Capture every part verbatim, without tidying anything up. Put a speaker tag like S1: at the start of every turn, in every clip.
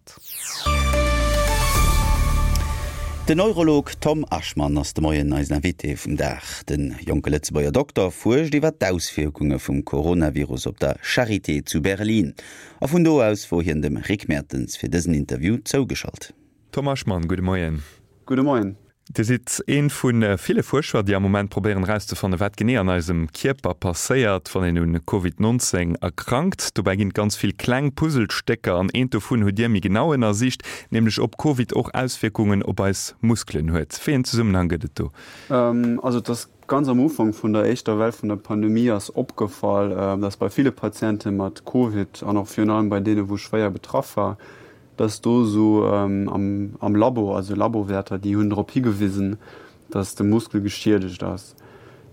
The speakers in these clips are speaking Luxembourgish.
S1: Grad.
S2: Den Neurolog Tom Aschmann ass de Moien eisen Invité vum Dag. De jonke Lëtzebuerger Dokter fuerscht iwwer d'Auswierkunge vum Coronavirus op der Charité zu Berlin. A vun do aus wor hien dem Rick Mertens fir dësen Interview zougeschalt.
S1: Tom Aschmann, gudde Moien.
S3: Gudde Moien.
S1: Dir sidd ee vu ville Fuerscher, déi am Moment probéieren erauszefannen, wat genee an eisem Kierper passéiert, wann een un Covid nonzéng erkrankt. Dobäi ginn et ganz vill kleng Puzzlestécker an eent dovun hutt Dir méi genau ënnersicht, nämlech ob Covid och Auswierkungen op eis Muskelen huet. Wéi en Zesummenhang gëtt et do?
S3: Also et ass ganz am Ufank vun der éischter Well vun der Pandemie ass opgefall, dass bei ville Patiente mat Covid an och virun allem bei deene wou schwéier betraff war, dass do esou am Labo, also Labowäerter, déi hunn drop higewisen, dass de Muskel geschiedegt ass.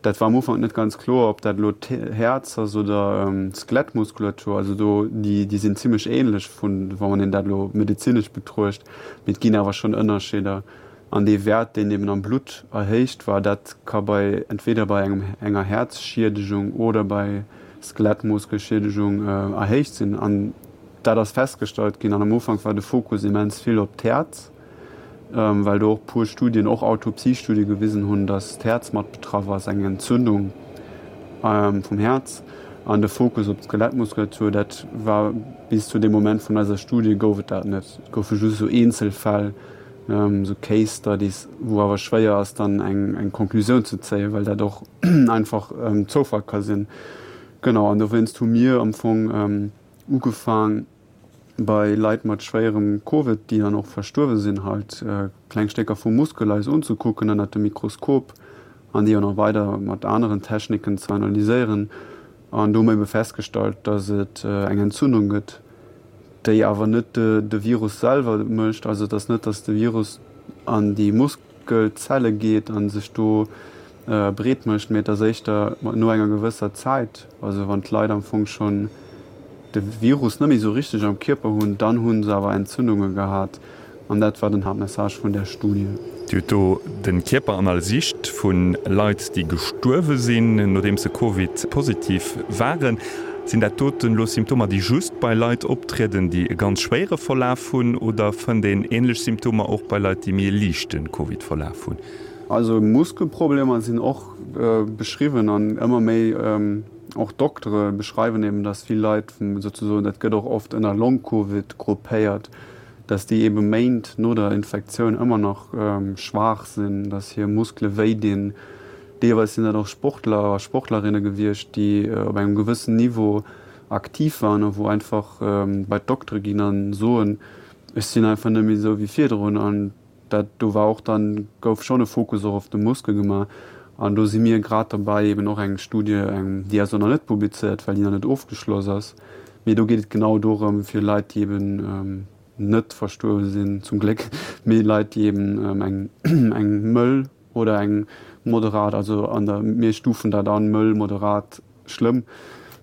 S3: Dat war am Ufank net ganz kloer, ob dat elo d'Häerz ass oder d'Skelettmuskulatur. Also do, déi, déi sinn zimlech ähnlech vun, wa man een dat elo medezinesch betruecht, mee et ginn awer schonn Ënnerscheeder. An dee Wäert, deen eben am Blutt erhéicht war, dat ka bei entweder bei engem, enger Häerzschiedegung oder bei Skelettmuskelschiedegungen erhéicht sinn. An dat ass festgestallt ginn. An am Ufank war de Fokus immens vill op d'Häerz, well do och puer Studien, och Autopsiestudie gewisen hunn, datt d'Häerz mat betraff ass, eng Entzündung vum Häerz. An de Fokus op d'Skelettmuskulatur, dat war bis zu deem Moment vun eiser Studie gouf et dat net. Et goufe just esou Eenzelfäll, esou Case Studies, wou awer schwéier ass dann eng eng Konklusioun ze zéien, well dat och einfach Zoufall ka sinn. Genau, an dowéinst hu mir am Fong ugefaang bei Leit mat schwéierem Covid, déi dann och verstuerwe sinn, halt kleng Stécker vum Muskel eis unzekucken ënnert dem Mikroskop an déi och nach weider mat aneren Techniken ze analyséieren. An do hu mer ebe festgestallt, dass et eng Entzündung gëtt, déi awer net de Virus selwer mécht. Also et ass net, dass de Virus an déi Muskelzelle geet a sech do breet mécht, mee et ass éischter no enger gewësser Zäit, also wann d'Leit am Fong schonn de Virus net méi esou richteg am Kierper hunn, dann hu se awer Entzündunge gehat. An dat war den Haaptmessage vun där Studie.
S1: Dir hutt do de Kierper analysicht vu Leit, déi gestuerwe sinn, nodeems se Covid-positiv waren. Sinn dat doten elo Symptomer, déi just bei Leit optrieden, déi e ganz schwéiere Verlaf hunn, oder fënnt een änlech Symptomer och bei Leit, déi méi e liichte Covid-Verlaf hunn?
S3: Also Muskelproblemer sinn och beschriwwen an ëmmer méi och Doktere beschreiwen eben, dass vill Leit souzesoen, dat gëtt och oft ënner Long-Covid gruppéiert, dass déi ebe Méint no der Infektioun ëmmer nach schwaach sinn, dass hir Muskele wéi dinn. Deelweis sinn dat och Sportler a Sportlerinne gewiescht, déi op engem gewëssen Niveau aktiv waren a wou einfach bei d'Doktere ginn a soen, ech sinn einfach net méi esou wéi virdrun. An dat do war och dann, gouf schonn e Fokus och op de Muskel gemaach. An do si mir grad derbäi eben och eng Studie, eng, déi ass och nach net publizéiert, well déi nach net ofgeschloss ass, mee do geet et genau dorëm, fir Leit, déi eben net verstuerwe sinn, zum Gléck, mee Leit, déi eben eng, eng mëll oder eng moderat, also an der, mir stufen dat an, mëll, moderat, schlëmm,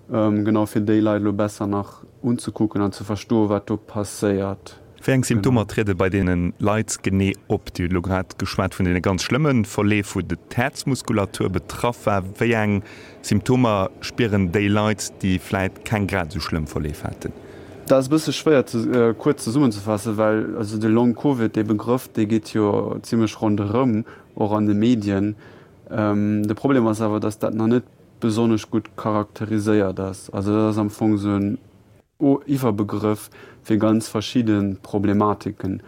S3: genau, fir déi Leit elo besser nach unzekucken an ze verstoen, wat do passéiert.
S1: Wéi eng Symptomer triede bei deene Leit genee op? Dir hutt elo grad geschwat vun deene ganz schlëmme Verleef, wou d'Häerzmuskulatur betraff war. Wéi eng Symptomer spieren déi Leit, déi vläit keng grad esou schlëmm Verleef haten?
S3: Dat ass e bësse schwéier ze kuerz zesummenzefassen, well also de Long Covid, dee Begrëff, dee geet jo zimlech ronderëm, och an de Medien. De Problem ass awer, datt dat nach net besonnesch gutt charakteriséiert ass. Also dat ass am Fong esou en Iwwerbegrëff fir ganz verschidde Problematiken.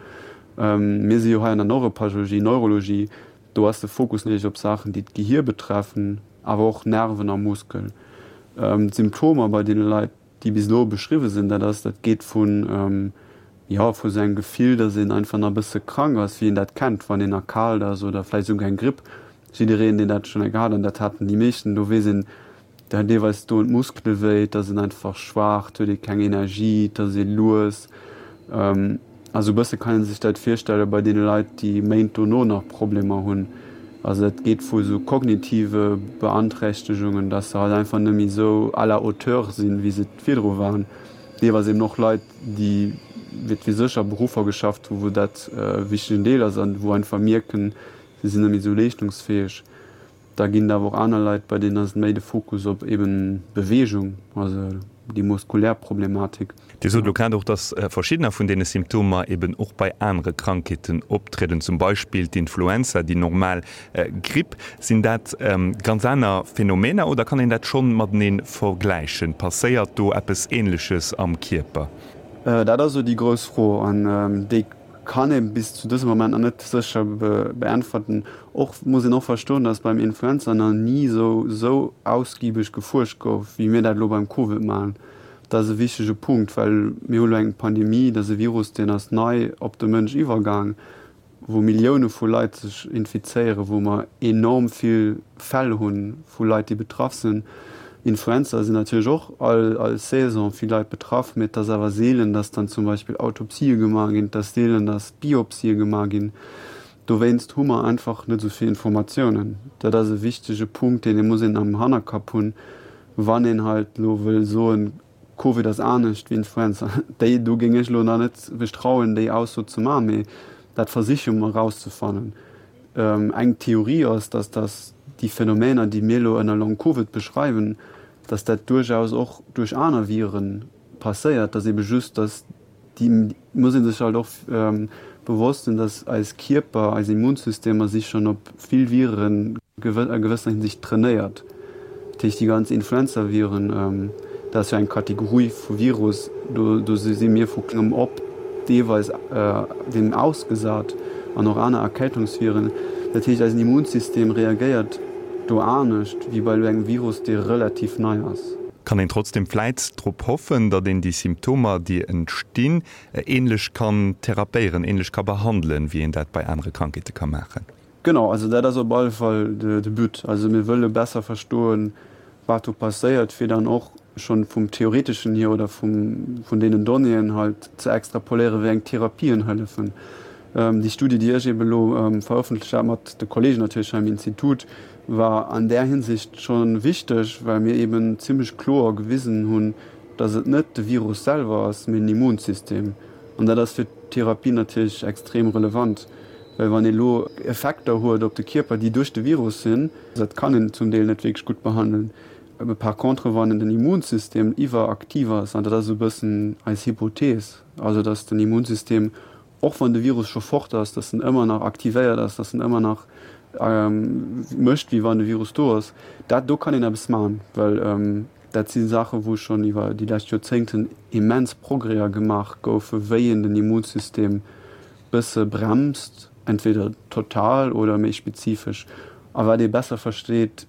S3: Mir si jo hei an der Neuropathologie, Neurologie, do ass de Fokus natierlech op Saachen, déi d'Gehier betreffen, awer och Nerven a Muskel. D'Symptomer bei deene Leit, déi bis elo beschriwwe sinn, dat ass, dat geet vun, jo, vu sou engem Gefill, datt een einfach nach e bësse krank ass, wéi een dat kennt, wann een erkaalt ass oder vläicht esouguer eng Gripp. Jiddereen, deen dat schonn eng Kéier hat, an dat haten déi meeschten, do weess een, dat deelweis doen d'Muskele wéi, et ass een einfach schwaach, et huet ee keng Energie, et ass ee lues. Also e bësse kann ee sech dat virstelle bei deene Leit, déi Méint dono nach Problemer hunn. Also dat geet vu sou kognitive Beanträchtegungen, dass se halt einfach net méi esou à la hauteur sinn, wéi se et virdru waren. Deelweis eben och Leit, déi, wat weess ech, a Beruffer geschafft hu wou dat e wichtegen Deel ass an wou einfach mierken, si sinn net méi esou leeschtungsfäeg. Da ginn et awer och aner Leit, bei deenen ass et méi de Fokus op eben Beweegung, also déi muskulär Problematik.
S1: Dir sot elo grad och, dass verschiddener vun deene Symptomer eben och bei anere Krankheeten optrieden, zum Beispill d'Influenza, déi normal Gripp. Sinn dat ganz aner Phänomener oder kann een dat schonn matenee vergläichen? Passéiert do eppes Ähnleches am Kierper?
S3: Dat ass elo déi grouss Fro an déi kann ee bis zu dësem Moment nach net sécher beäntwerten. Och muss een och verstoen, dass beim Influenza nach ni esou esou ausgiebeg gefuerscht gouf, wéi mir dat elo beim Covid maachen. Dat ass e wichtege Punkt, well mir hu lo eng Pandemie, dat ass e Virus, deen ass nei op de Mënsch iwwergaang, wou Millioune vu Leit sech infizéieren, wou mer enorm vill Fäll hu vu Leit, déi betraff sinn. Influenza sinn natierlech och all all Saison vill Leit betraff, mee et ass awer seelen, datt dann zum Beispill Autopsië gemaach ginn, et ass seelen, datt Biopsië gemaach ginn. Dowéinst hu mer einfach net esou vill Informatiounen. Dat ass e wichtege Punkt, deen ee muss een am Hannerkapp hunn, wann een halt elo wëll soen, Covid ass anescht wéi Influenza. Déi do géing ech elo nach net mech trauen, déi Ausso ze maachen, mee dat versiche mer erauszefannen. Eng Theorie ass, dass dass déi Phänomener, déi mir elo ënner Long Covid beschreiwen, dass dat duerchaus och duerch aner Vire passéiert, dass ebe just, dass déi, muss ee sech halt och bewosst sinn, dass eis Kierper, eis Immunsystemer si schonn op vill Viren a gewëssener Hinsicht trainéiert. Dat heescht, déi ganz Influenzaviren, dat ass jo eng Kategorie vu Virus, do do si mir vu klengem op deelweis deem ausgesat an och aner Erkältungsviren. Dat heescht, eisen Immunsystem reagéiert do anescht wéi bei elo engem Virus, dee relativ nei ass.
S1: Kann een trotzdem vläit drop hoffen, datt een déi Symptomer, déi entstinn, ähnlech kann therapéieren, ähnlech ka behandelen, wéi een dat bei anere Krankheete ka maachen?
S3: Genau, also dat ass op alle Fall de But. Also mir wëlle besser verstoen, wat do passéiert, fir dann och schonn vum Theoreteschen hier oder vum, vun deenen Donnéeën halt ze extrapoléieren, wéi eng Therapien hëllefen. Déi Studie, déi ech eeben elo verëffentlecht hat, mat de Kollegen natierlech hei am Institut, war an där Hinsicht scho wichteg, well mir eeben zimlech kloer gewisen hunn, dass et net de Virus selwer ass, mee den Immunsystem. An dat ass fir d'Therapie natierlech extrem relevant, well wann ee lo Effekter huet op de Kierper, déi duerch de Virus sinn, dat kann een zum Deel net wierklech gutt behandelen. Par contre, wann den Immunsystem iwweraktiv ass, an dat ass esou e bëssen eis Hypothees, also dass den Immunsystem, och wann de Virus scho fort ass, dass en ëmmer nach aktivéiert ass, dass en ëmmer nach mécht, wéi wann de Virus do ass, dat do kann een eppes maachen, well dat si Saachen, wou schonn iwwer déi lescht Joerzéngten immens Progrèser gemaach goufen, wéi een den Immunsystem bësse bremst, entweder total oder méi spezifesch, a wat ee besser versteet,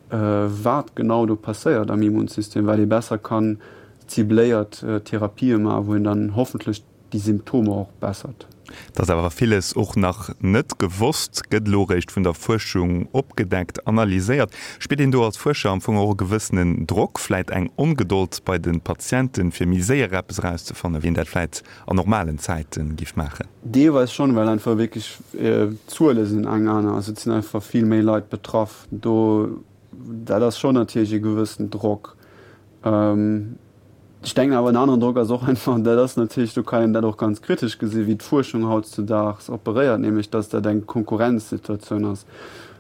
S3: wat genau do passéiert am Immunsystem, wat ee besser kann cibléiert Therapië maachen, wou een dann hoffentlech déi Symptomer och bessert.
S1: Et ass awer villes och nach net gewosst, gëtt elo eréischt vun der Fuerschung opgedeckt, analyséiert. Spiert een do als Fuerscher am Fong och e gewëssenen Drock, vläit eng Ongedold bei de Patienten, fir méi séier eppes erauszefannen, wéi een dat vläit an normalen Zäite giff maachen?
S3: Deelweis schonn, well einfach wierklech d'Zuele sinn eng aner, also et sinn einfach vill méi Leit betraff. Do, dat ass schonn natierlech e gewëssen Drock. Ech denken awer, en aneren Drock ass och einfach, dat ass natierlech, do kann een dat och ganz kritesch gesinn, wéi d'Fuerschung hautzudaags operéiert, nämlech dass dat eng Konkurrenzsituatioun ass.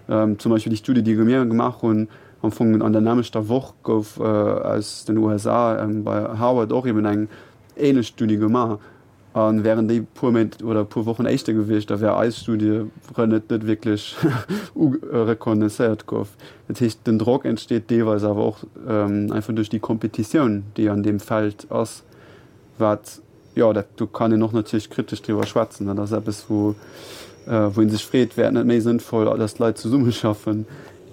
S3: Zum Beispill déi Studie, déi mir gemaach hunn, am Fong an der nämmlechter Woch gouf aus den U S A bei Harvard och eben eng ähnlech Studie gemaach. A wären déi puer Méint oder puer Wochen éischter gewiescht, da wär eis Studie net net wierklech reconnaisséiert gouf. Dat heescht, den Drock entsteet deelweis awer och einfach duerch déi Kompetitioun, déi an deem Feld ass, wat, jo, dat do kann een och natierlech kritesch driwwer schwätzen. Dat ass eppes, wou wou ee sech freet, wär et net méi sënnvoll, datt d'Leit zesummeschaffen?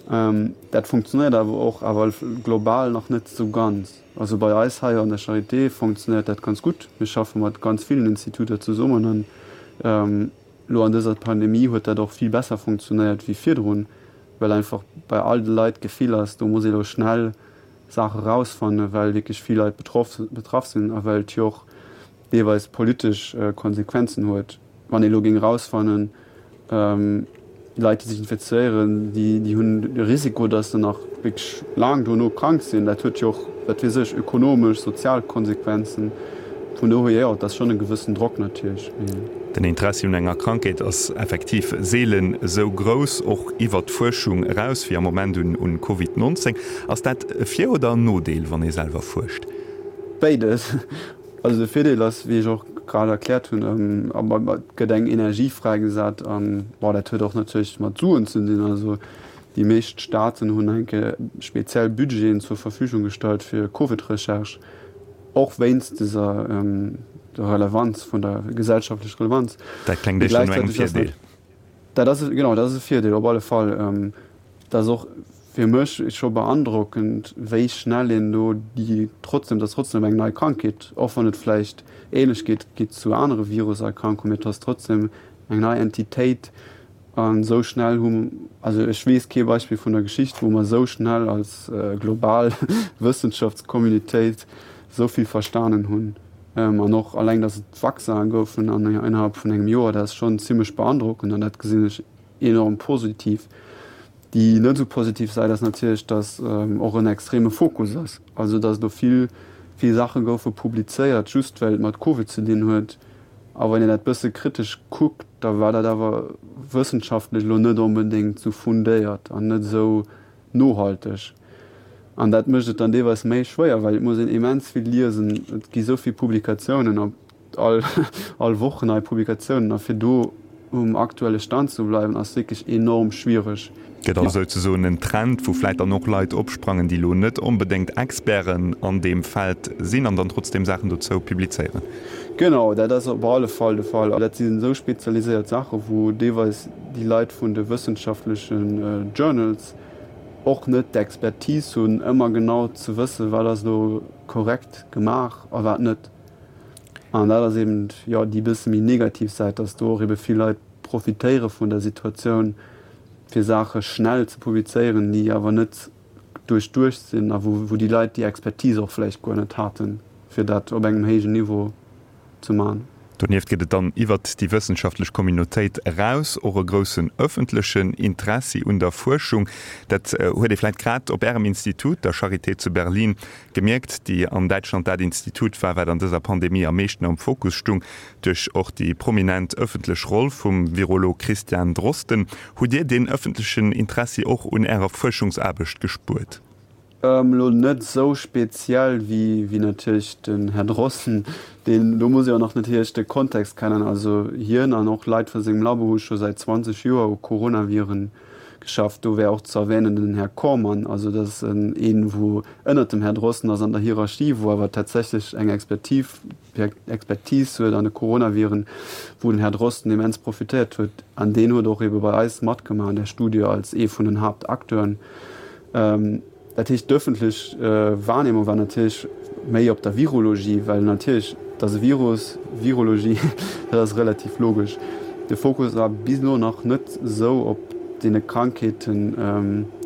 S3: Dat funktionéiert awer och, awer global nach net esou ganz. Also bei eis hei an der Charité fonctionnéiert dat ganz gutt. Mir schaffe mat ganz villen Instituter zesummen an elo an dëser Pandemie huet dat och vill besser fonctionnéiert wéi virdrun, well einfach bei all de Leit d'Gefill ass, do muss ee elo schnell Saache rausfannen, well wierklech vill Leit betroff betraff sinn a well et jo och deelweis politesch Konsequenzen huet. Wann ee elo géing erausfannen, Leit, déi sech infizéieren, déi hunn de Risiko, datt se nach wierklech laang dono krank sinn. Dat huet jo och, wat weess ech, ökonomesch, sozial Konsequenzen. Vun dohier, jo, et ass schonn e gewëssen Drock natierlech.
S1: Den Interessi un enger Krankheet ass effektiv seelen esou grouss, och iwwer d'Fuerschung eraus, wéi am Moment un Covid neunzéng. Ass dat e Vir oder en Nodeel, wann ee selwer fuerscht?
S3: Béides. Also de Virdeel ass, wéi ech och grad erkläert hunn, et gëtt eng Energie fräigesat an, bon, dat huet och natierlech mat Suen ze dinn. Also déi meescht Staaten hunn enke speziell Budgeten zur Verfügung gestallt fir Covid-Recherche, och wéinst dëser der Relevanz vun der gesellschaftlecher Relevanz.
S1: Dat klengt éischter no engem Virdeel.
S3: Dat ass, genau, dat ass e Virdeel op alle Fall. Dat ass och fir mech scho beandrockend, wéi schnell een do déi trotzdem, dat ass trotzdem eng nei Krankheet, och wann et vläicht Ähnlechkeet gitt zu anere Viruserkrankungen, mee et ass trotzdem eng nei Entitéit an esou schnell hu, also ech weess kee Beispill vun der Geschicht, wou mer esou schnell als global Wëssenschaftscommunitéit esou vill verstanen hunn. An och alleng, datt et Vaccinen goufen an innerhalb vun engem Joer, dat ass schonn zimlech beandrockend an dat gesinn ech enorm positiv. Déi net esou positiv Säit ass natierlech, datt och en extreme Fokus ass, also datt do vill, vill Saache goufe publizéiert, just well et mat Covid ze dinn huet. A wann een dat bësse kritesch kuckt, da war dat awer wëssenschaftlech elo net onbedéngt esou fundéiert an net esou nohalteg. An dat mécht et dann deelweis méi schwéier, well et muss een immens vill liesen, et gi sou vill Publikatiounen op all all Woch nei Publikatiounen a fir do um aktuelle Stand ze bleiwen ass wierklech enorm schwiereg.
S1: Gëtt also souzesoen en Trend, wou vläit dann och Leit opsprangen, déi elo net onbedéngt Experten an deem Feld sinn an dann trotzdeem Saachen dozou publizéieren?
S3: Genau, dat ass op alle Fall de Fall. Dat sinn esou spezialiséiert Saachen, wou deelweis déi Leit vun de wëssenschaftlechen Journals och net d'Expertise hunn, ëmmer genau ze wëssen, wat ass elo korrekt gemaach a wat net. An dat ass eben, jo, déi bësse méi negativ Säit, dass do och ebe vill Leit profitéiere vun der Situatioun, fir Saache schnell ze publizéieren, déi awer net duerchduecht sinn a wou déi Leit déi Expertise och vläicht guer net haten, fir dat op engem héijen Niveau ze man.
S1: Donieft gëtt et dann iwwert déi wëssenschaftlech Communautéit eraus och e groussen ëffentlechen Interessi un der Fuerschung. Dat huet ee vläicht grad op Ärem Institut, der Charité zu Berlin, gemierkt, déi an Däitschland dat Institut war, wat an dëser Pandemie am meeschten am Fokus stung, duerch och déi prominent ëffentlech Roll vum Virolog Christian Drosten. Hutt Dir deen ëffentlechen Interessi och un Ärer Fuerschungsaarbecht gespuert?
S3: Elo net esou speziell wéi natierlech den Här Drosten, deen, do muss ee och nach natierlech de Kontext kennen, also hien an och Leit vu sengem Labo hu scho säit zwanzeg Joer u Coronaviren geschafft. Do wär och ze erwänen den Här Kormann, also dat ass een, wou ënnert dem Här Drosten ass an der Hierarchie, wou awer tatsächlech eng Expertise huet an de Coronaviren, wou den Här Drosten immens profitéiert huet. An deen huet och ebe bei eis matgemaach an där Studie als ee vun den Haaptacteuren. Dat heescht, d'ëffentlech Wahrnehmung war natierlech méi op der Virologie, well natierlech, et ass e Virus, Virologie, dat ass relativ logesch. De Fokus war bis elo nach net esou op deene Krankheeten,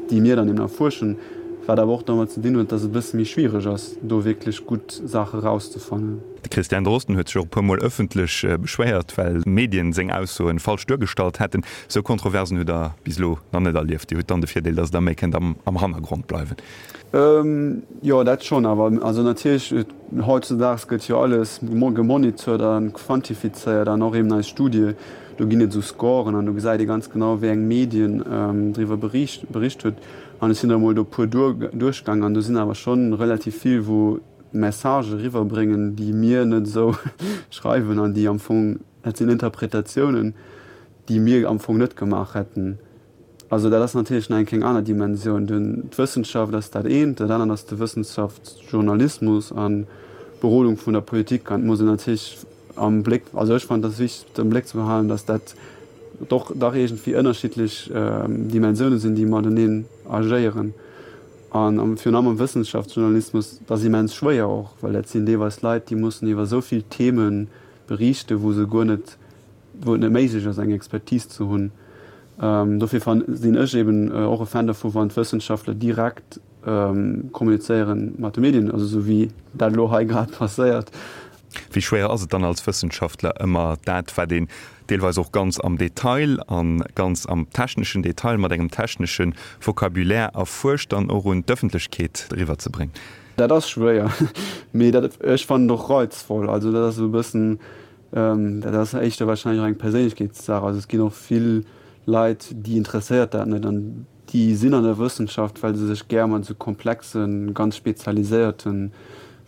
S3: déi mir dann eben erfuerschen, wat awer och domat ze dinn huet, dass et e bësse méi schwiereg ass, do wierklech gutt Saache rauszefannen.
S1: De Christian Drosten huet sech och e puer Mol ëffentlech beschwéiert, well Medien seng Aussoen falsch duergestallt hätten. Esou Kontroversen hutt Der bis elo nach net erlieft. Dir hutt dann de Virdeel, datt Der méi kënnt am Hannergrond bleiwen.
S3: Jo, dat schonn. Awer also natierlech, hautzedaags gëtt jo alles gemonitort a quantifizéiert an och eben eis Studie, do ginn et esou Scoren an do gesäit ee ganz genau, wéi eng Medien driwwer bericht huet. An ech sinn der emol do e puer duerchgaang an do sinn awer schonn relativ vill, wou Messagë riwwerbréngen, déi mir net esou schreiwen an déi am Fong, dat sinn Interpretatiounen, déi mir am Fong net gemaach hätten. Also dat ass natierlech nach eng keng aner Dimensioun. D'Wëssenschaft ass dat eent, dat anert ass de Wëssenschaftsjournalismus an d'Berodung vun der Politik. An et muss een natierlech am Bléck, also ech fannen, et ass wichteg am Bléck ze behalen, datt dat doch dach iergendwéi ënnerschiddlech Dimensioune sinn, déi mateneen agéieren. An virun allem am Wëssenschaftsjournalismus, dat ass immens schwéier och, well dat sinn deelweis Leit, déi mussen iwwer esou vill Theme beriichten, wou se guer net, wou et net méiglech ass, eng Expertise ze hunn. Dofir sinn ech eben och e Fan dovu wann d'Wëssenschaftler direkt kommunizéiere mat de Medien, also esou wéi dat elo hei grad passéiert.
S1: Wéi schwéier ass et dann als Wëssenschaftler ëmmer dat, wat een deelweis och ganz am Detail a ganz am techneschen Detail mat engem technesche Vocabulaire erfuerscht, dann och un d'Ëffentlechkeet eriwwerzebréngen?
S3: Dat ass schwéier, mee dat, ech fannen et och reizvoll. Also dat ass esou e bëssen, dat ass éischter wahrscheinlech och eng Perséinlechkeetssaach. Also et ginn och vill Leit, déi interesséiert dat net an déi sinn an der Wëssenschaft, well se sech gär mat esou komplexen, ganz spezialiséierte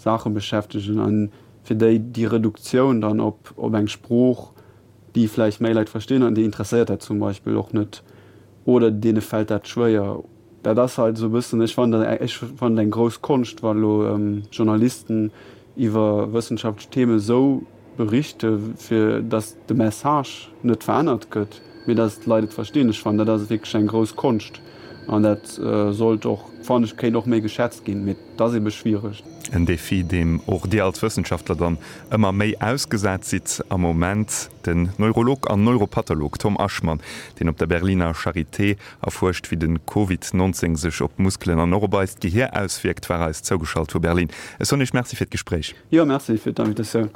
S3: Saache beschäftegen an fir déi déi Reduktioun dann op op eng Sprooch, déi vläicht méi Leit verstinn an déi interesséiert dat zum Beispill och net oder deene fält dat schwéier. Dat ass halt esou e bëssen, ech fannen dat, ech fannen et eng grouss Konscht, wa lo Journalisten iwwer wëssenschaftlech Themen esou berichte fir datt de Message net verännert gëtt, mee datt d'Leit et verstinn. Ech fannen dat ass wierklech eng grouss Konscht an dat sollt och, fannen ech, kéint och méi geschätzt ginn, mee et ass ebe schwiereg.
S1: En Defi, deem och Dir als Wëssenschaftler dann ëmmer méi ausgesat sidd am Moment. Den Neurolog an Neuropatholog Tom Aschmann, deen op der Berliner Charité erfuerscht, wéi de Covid nonzéng sech op d'Muskelen an och op eist Gehier auswierkt, war eis zougeschalt vu Berlin. Ech soen Iech Merci fir d'Gespréich.
S3: Jo, Merci fir d'Invitatioun.